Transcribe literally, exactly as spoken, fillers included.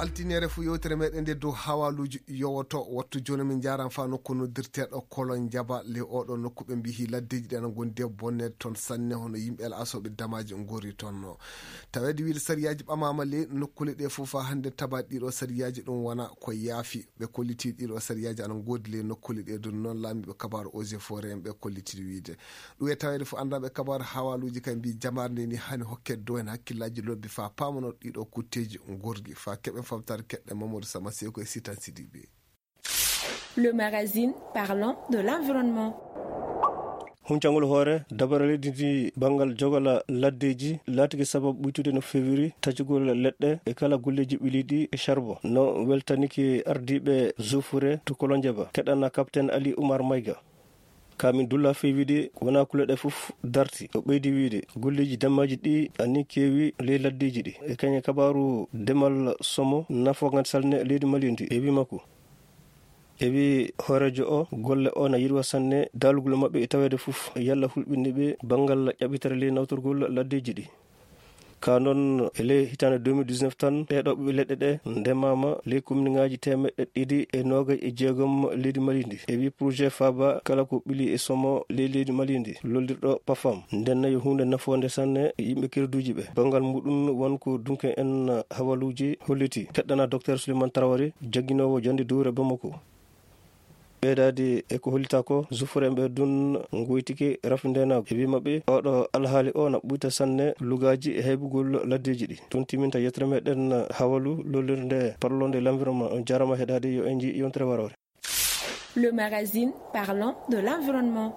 Altiniere fu yewtere meɗen nde dow hawaluuji yowoto. Wattu jooni min njaran fa nokku noddirteeɗo Kolon Jaba. Le oɗo nokku ɓe mbihi laddeeji ɗi ana ngondi e bonneede toon sanne, hono yimɓe El Aso ɓe damaaji ngori toon no. Taweede wiide sariyaaji ɓamaama le nokkule ɗe fof fa hannde tabaɗi ɗiɗo sariyaaji ɗum wona ko yaafi. Ɓe kolliti ɗiɗo sariyaaji ana ngoodi le nokkule ɗe ɗum noon laamiiɓe kabaaru Eaux et Forêt en ɓe kolliti wiide. Ɗum e taweede fof anndaɓe kabaaru hawaluuji kay mbi jamaare nde ni hani hokke dow en hakkillaaji lobbi fa paamano ɗiɗo kutteeji ngorgi fa keɓen famtaare keɗɗe Mamadou Sama Seko e Sitan Sidibe. Le magazine parlant de l'environnement. Huncangol hoore dabare leydi ndi banngal jogala laddeeji laatiki sababu ɓuytude no feewiri tacugol leɗɗe e kala golleeji ɓiliiɗi e charbon no weltaniki ardiiɓe zufure to Kolonjeba keɗana capitaine Ali Oumar Mayga. Kamin dulla feewide wona kuleɗe fof darti o ɓeydi wiide golleeji demmaaji ɗi ani keewi ley laddeeji ɗi e kañe kabaaru demal somo nafogan salne leydi mali ndi e wi makko. E wi hooreejo o golle o na yirwa sanne daalugol maɓɓe e taweede fof yalla hulɓinde ɓe banngal ƴaɓitere ley nawtorgol laddeeji ɗi. Ka noon e ley hitaande deux mille dix-neuf tan ɗeɗo ɓiɓɓe leɗɗe ɗe ndemaama ley komniŋaaji teemeɗɗe ɗiɗi e noogay e jeegom leydi mali ndi e wi projet faaba kala ko ɓili e somo ley leydi mali ndi lollirɗo pafam. Nden nayi huunde nafoonde sanne yimɓe kerduuji ɓe banngal muɗum won ko dunke en hawaluuji holliti keɗɗana docteur Souleymane Traoré jagginoowo jannde duure Bamako. Ɓeydaade e ko hollita ko zufuremɓe dun ngoytike rafindeenaagu e wi maɓɓe oɗo alhaali o na ɓuyta sanne lugaaji e heɓugol laddeeji ɗi. Tun timinta yettere meɗen hawalu lollirde parlonde l'environnement. On jarama heɗaade yo en ji yontere warore. Le magazine parlant de l'environnement.